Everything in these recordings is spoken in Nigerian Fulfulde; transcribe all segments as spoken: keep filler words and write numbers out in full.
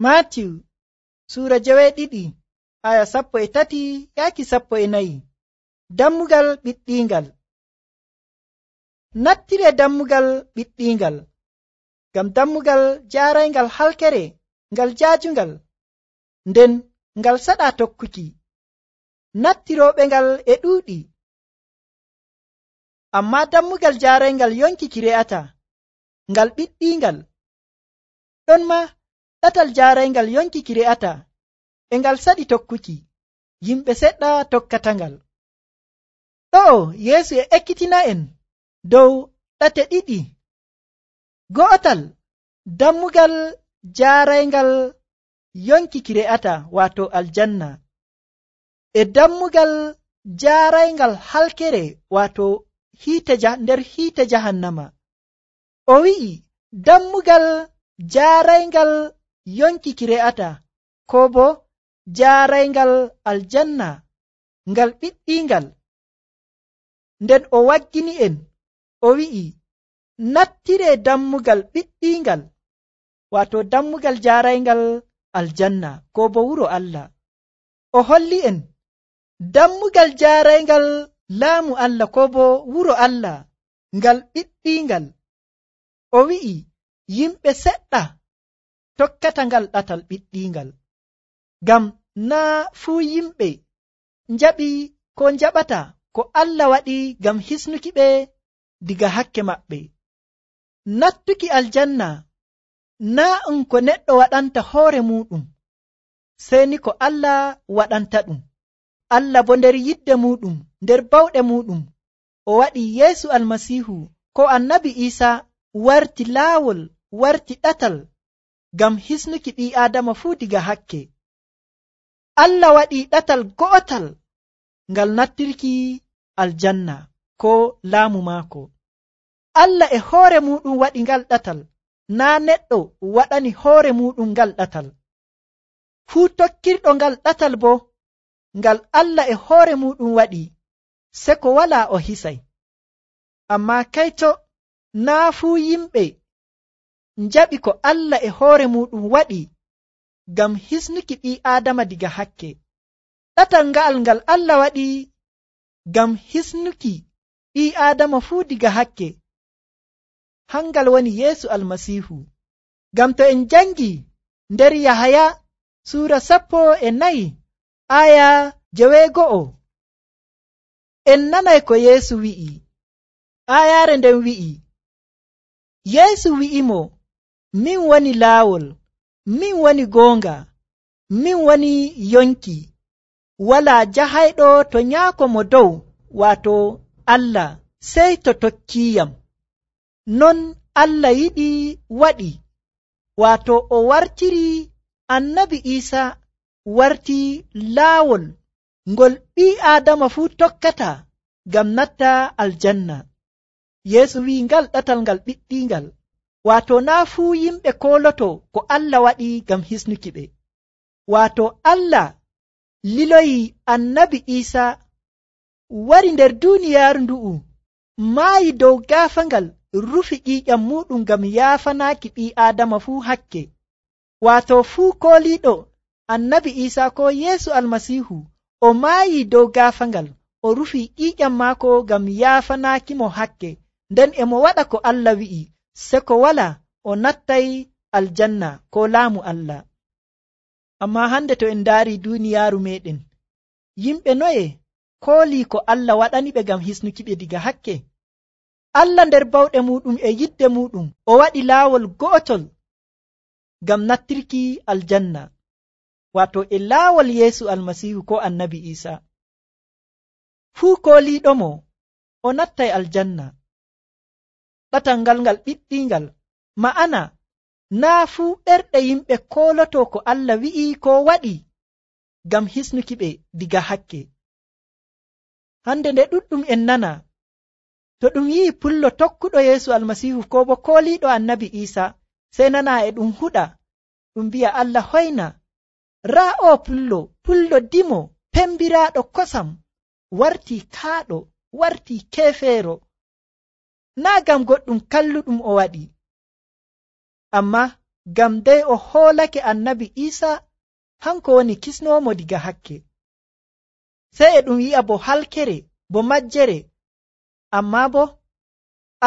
Maatiw suura jeweeɗiɗi aya sappo e tati yaaki sappo e nayi. Dammugal ɓiɗɗiingal. Nattire dammugal ɓiɗɗiingal, ngam dammugal jaarayngal halkere ngal jaajungal, nden ngal saɗa tokkuki. Nattirooɓe ngal e ɗuuɗi, amma dammugal jaarayngal yonkiki re'ata, ngal ɓiɗɗiingal. Ɗon ma ɗatal jaarayngal yonkiki re'ata, e ngal saɗi tokkuki, yimɓe seɗɗa tokkata ngal. Ɗo'o Yeesu e ekkitina'en dow ɗate ɗiɗi. Go'otal dammugal jaarayngal yonkiki re'ata, wato aljanna, e dammugal jaarayngal halkere, wato hiite nder hiite jahannama. O wi'i dammugal jaarayngal yonkiki re'ata, ko bo jaarayngal aljanna ngal ɓiɗɗiingal. Nden o waggini en o wi'i nattire dammugal ɓiɗɗiingal, wato dammugal jaarayngal aljanna ko bo wuro Allah. O holli en dammugal jaarayngal laamu Allah ko bo wuro Allah ngal ɓiɗɗiingal. O wi'i yimɓe seɗɗa tokkata ngal ɗatal ɓiɗɗiingal, ngam naa fuu yimɓe njaɓi ko njaɓata ko Allah waɗi ngam hisnuki ɓe diga hakke maɓɓe. Nattuki aljanna naa um ko neɗɗo waɗanta hoore muɗum, sey ni ko Allah waɗanta ɗum. Allah bo nder yidde muɗum, nder bawɗe muɗum, o waɗi Yeesu Almasiihu ko Annabi Iisa warti laawol, warti ɗatal ngam hisnuki ɓii Aadama fuu diga hakke. Allah waɗi ɗatal go'otal ngal nattirki aljanna ko laamu maako. Allah e hoore muɗum waɗi ngal ɗatal, naa neɗɗo waɗani hoore muɗum ngal ɗatal. Fuu tokkirɗo ngal ɗatal bo ngal Allah e hoore muɗum waɗi, se ko walaa o hisay. Ammaa kayto naa fuu yimɓe njaɓi ko Allah e hoore muɗum waɗi ngam hisnuki ɓii Aadama diga hakke. Ɗatal nga'al ngal Allah waɗi ngam hisnuki ɓii Aadama fuu diga hakke, hangal woni Yeesu Almasiihu. Ngam to en jangi nder Yahaya suura sappo e nayi aya jeweego'o, en nanay ko Yeesu wi'i. Ayaare nden wi'i, Yeesu wi'imo, min woni laawol, min woni goonga, min woni yonki. Walaa jahayɗo to nyaako mo dow, wato Allah, sey to tokkiiyam. Non Allah yiɗi waɗi, wato o wartiri Annabi Iisa warti laawol ngol ɓii Aadama fuu tokkata ngam natta aljanna. Yeesu wi'i ngal ɗatal ngal ɓiɗɗiingal, wato naa fuu yimɓe kooloto ko Allah waɗi ngam hisnuki ɓe. Wato Allah liloyi Annabi Iisa wari nder duuniyaaru ndu'u, maayi dow gaafangal, rufi ƴiiƴam muɗum ngam yaafanaaki ɓii Aadama fuu hakke. Wato fuu kooliiɗo Annabi Iisa ko Yeesu Almasiihu, o maayi dow gaafangal, o rufi ƴiiƴam maako ngam yaafanaaki mo hakke, nden e mo waɗa ko Allah wi'i, se ko wala o nattay aljanna ko laamu Allah. Amma hande to en ndaari duuniyaaru meɗen, yimɓe noye koolii ko Allah waɗani ɓe ngam hisnuki ɓe diga hakke? Allah nder bawɗe muɗum e yidde muɗum, o waɗi laawol go'otol ngam nattirki aljanna, wato e laawol Yeesu Almasiihu ko Annabi Iisa. Fuu kooliiɗomo o nattay aljanna. Ɗatal ngal ngal ɓiɗɗiingal, ma'ana naa fuu ɓerɗe yimɓe kooloto ko Allah wi'i ko waɗi ngam hisnuki ɓe diga hakke. Hande nde ɗuɗɗum en nana, to ɗum yi'i pullo tokkuɗo Yeesu Almasiihu ko bo kooliiɗo Annabi Iisa, sey nana e ɗum huɗa, ɗum bi'a Allah hoyna, raa o pullo, pullo dimo, pembiraaɗo kosam, wartii kaaɗo, wartii keefeero. Naa ngam goɗɗum kalluɗum o waɗi, amma ngam dey o hoolake annabi Isa hanko woni kisnomo diga hakke. Sey e ɗum yi'a bo halkere, bo majjere, amma bo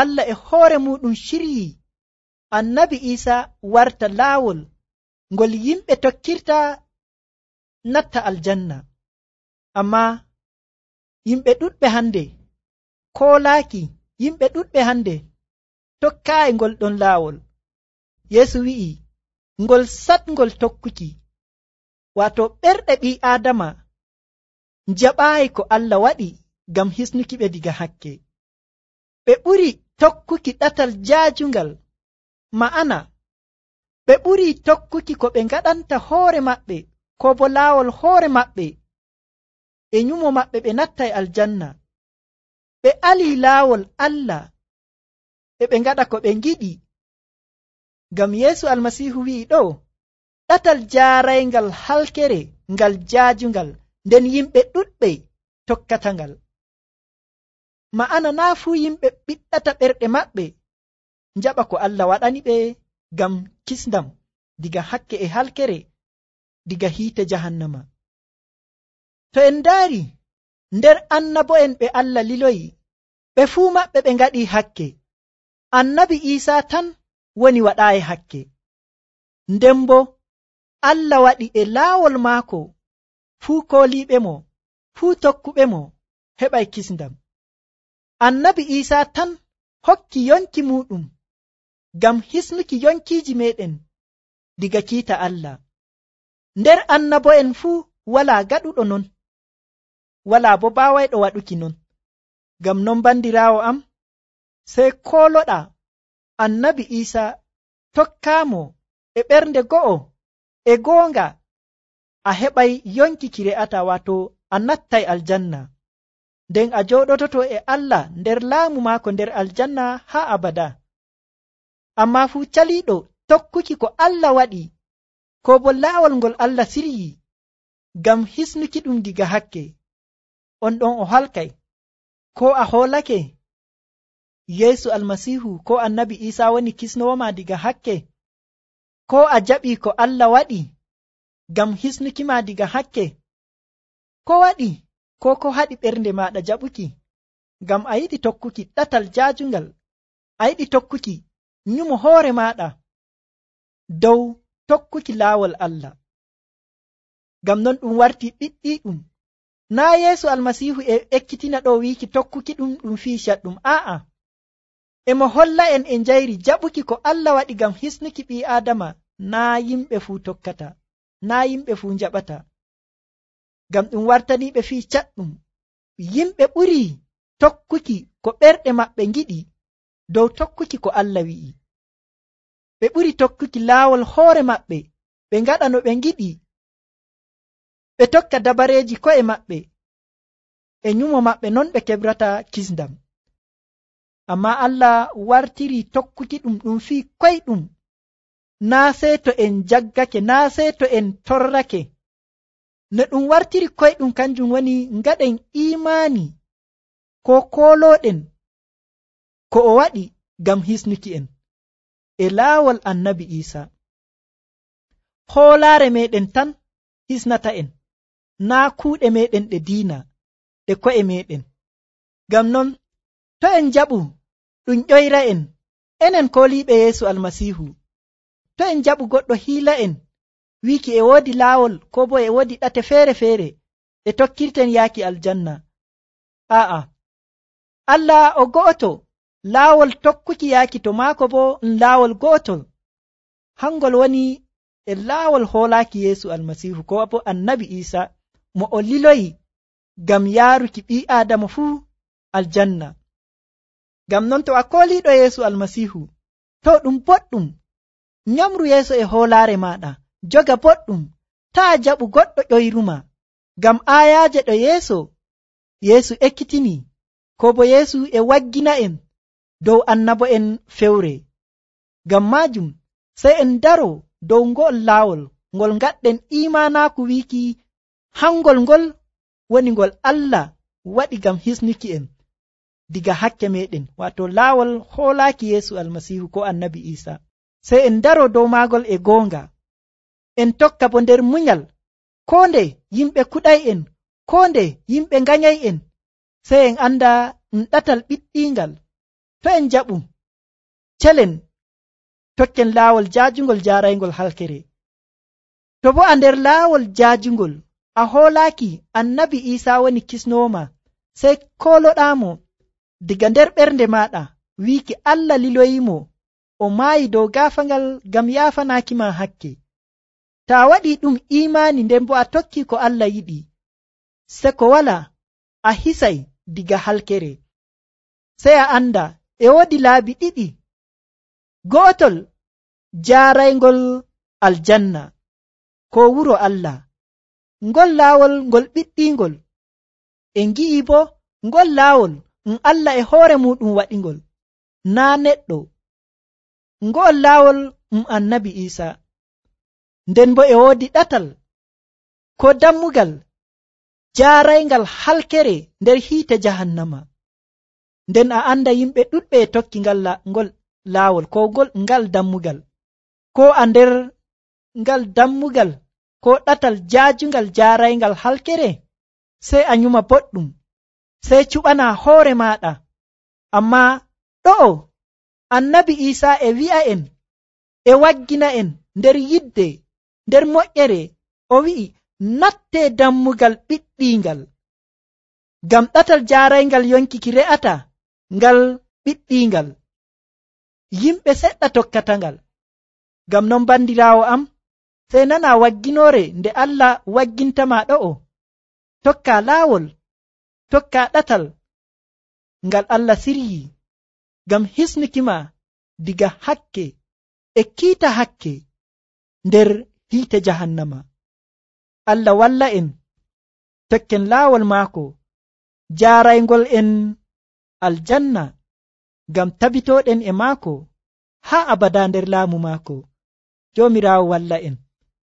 Allah e hoore muɗum shiryi annabi Isa warta laawol ngol yimɓe tokkirta natta aljanna. Amma yimɓe ɗuɗɓe hande koolaaki, yimɓe ɗuɗɓe hande tokkaayi ngol ɗon laawol. Yeesu wi'i ngol satngol tokkuki, waato ɓerɗe ɓii Aadama njaɓaayi ko Allah waɗi ngam hisnuki ɓe diga hakke. Ɓe ɓuri tokkuki ɗatal jaajungal, ma'ana ɓe ɓuri tokkuki ko ɓe ngaɗanta hoore maɓɓe, ko bo laawol hoore maɓɓe e nyumo maɓɓe ɓe nattay aljanna. Ɓe alii laawol Allah e ɓe ngaɗa ko ɓe ngiɗi. Ngam Yeesu Almasiihu wi'i ɗo, ɗatal jaarayngal halkere ngal jaajungal, nden yimɓe ɗuɗɓe tokkata ngal. Ma'ana naa fuu yimɓe ɓiɗɗata ɓerɗe maɓɓe njaɓa ko Allah waɗani ɓe ngam kisndam diga hakke e halkere, diga hiite jahannama. To en ndaari nder annabo'en ɓe Allah liloyi, ɓe fuu maɓɓe ɓe ngaɗi hakke. Annabi Isa tan woni waɗaayi hakke. Nden bo Allah waɗi e laawol maako fuu kooliiɓe mo, fuu tokkuɓe mo heɓay kisndam. Annabi Isa tan hokki yonki muɗum ngam hisnuki yonkiiji meɗen diga kiita Allah. Nder annabo'en fuu walaa gaɗuɗo non, walaa bo baawayɗo waɗuki non. Ngam non bandiraawo am, sey kooloɗaa annabi Isa tokkaamo e ɓernde go'o e goonga, a heɓay yonki ki re'ata, waato a nattay aljanna, nden a jooɗototo e Allah nder laamu maako nder aljanna haa abada. Ammaa fuu caliiɗo tokkuki ko Allah waɗi, ko bo laawol ngol Allah siryi ngam hisnuki ɗum diga hakke, on ɗon o halkay. Ko a hoolake Yeesu Almasiihu ko annabi Isa woni kisnowoma diga hakke, ko a jaɓi ko Allah waɗi ngam hisnuki ma diga hakke, ko waɗi ko ko haɗi ɓernde maɗa jaɓuki ngam a yiɗi tokkuki ɗatal jaajungal, a yiɗi tokkuki nyumo hoore maɗa dow tokkuki laawol Allah. Ngam non ɗum warti ɓiɗɗiɗum. Naa Yeesu Almasiihu e ekkitina ɗo wiiki tokkuki ɗum ɗum fii caɗɗum, aa'a, emo holla en e njayri jaɓuki ko Allah waɗi ngam hisnuki ɓii Aadama. Naa yimɓe fuu tokkata, naa yimɓe fuu njaɓata. Ngam ɗum wartaniiɓe fii caɗɗum. Yimɓe ɓuri tokkuki ko ɓerɗe maɓɓe ngiɗi dow tokkuki ko Allah wi'i. Ɓe ɓuri tokkuki laawol hoore maɓɓe, ɓe ngaɗa no ɓe ngiɗi, ɓe tokka dabareeji ko'e maɓɓe, e nyumo maɓɓe non ɓe kebrata kisndam. Ammaa Allah wartiri tokkuki ɗum ɗum fii koyɗum, naa sey to en jaggake, naa sey to en torrake. No ɗum wartiri koyɗum kanjum woni ngaɗen imaani ko koolooɗen ko o waɗi ngam hisnuki en e laawol annabi Isa. Hoolaare meɗen tan hisnata en, naa kuuɗe meɗen ɗe diina e ko'e meɗen. Ngam non to en jaɓu ɗum ƴoyra en, enen kooliiɓe Yeesu Almasiihu, to en jaɓu goɗɗo hiila en wiiki e woodi laawol ko bo e woodi ɗate feere-feere e tokkirten yaaki aljanna, aa'a, Allah o go'oto, laawol tokkuki yaaki to maako bo ɗum laawol go'otol, hangol woni e laawol hoolaaki Yeesu Almasiihu ko bo annabi Isa mo o liloyi ngam yaaruki ɓii Aadama fuu aljanna. Ngam non to a kooliiɗo Yeesu Almasiihu, to ɗum boɗɗum, nyamru yeeso e hoolaare maɗa, joga boɗɗum, taa jaɓu goɗɗo ƴoyruma. Ngam aayaaje ɗo yeeso, Yeesu ekkitini, ko bo Yeesu e waggina en dow annabo'en fewre. Ngam maajum sey en daro dow ngo'ol laawol ngol ngaɗɗen imanaaku wiiki hangol ngol woni ngol Allah waɗi ngam hisnuki en diga hakke meɗen, wato laawol hoolaaki Yeesu Almasiihu ko annabi Isa. sey en daro dow maagol e goonga, en tokka bo nder munyal. Koo nde yimɓe kuɗay'en, koo nde yimɓe nganyay'en, sey en anda ɗum ɗatal ɓiɗɗiingal. To en jaɓu celen tokken laawol jaajungol jaaraygol halkere. To bo a nder laawol jaajungol a hoolaaki annabi Iisaa woni kisnooma, sey kooloɗaamo diga nder ɓernde maaɗa wiiki Allah liloyimo o maayi dow gaafangal ngam yaafanaaki ma hakke. To a waɗii ɗum iimaani nden bo a tokki ko Allah yiɗi, se ko wala a hisay diga halkere. Sey a anda e woodi laabi ɗiɗi, go'otol jaaraygol aljanna ko wuro Allah, ngol laawol ngol ɓiɗɗiingol. En ngi'i bo ngol laawol ɗum Allah e hoore muɗum waɗingol, naa neɗɗo. Ngol laawol ɗum annabi Iisaa. Nden bo e woodi ɗatal ko dammugal jaarayngal halkere nder hiite jahannama. Nden a anda yimɓe ɗuɗɓe e tokki ngal ngol laawol ko ngol ngal dammugal, ko a nder ngal dammugal ko ɗatal jaajungal jaarayngal halkere, sey a nyuma boɗɗum, sey cuɓana hoore maɗa. Amma ɗo'o annabi Iisaa e wi'a en e waggina en nder yidde nder moƴƴere, o wi'i natte dammugal ɓiɗɗiingal, ngam ɗatal jaarayngal yonkiki re'ata ngal ɓiɗɗiingal. Yimɓe seɗɗa tokkata ngal. Ngam non bandiraawo am, sey nana wagginoore nde Allah waggintama ɗo'o. Tokka laawol, tokka ɗatal ngal Allah siryi ngam hisnukima diga hakke e kiita hakke nder hiite jahannama. Allah walla en tokken laawol maako jaaraygol en aljanna, ngam tabitoɗen e maako haa abada nder laamu maako. Joomiraawo walla en.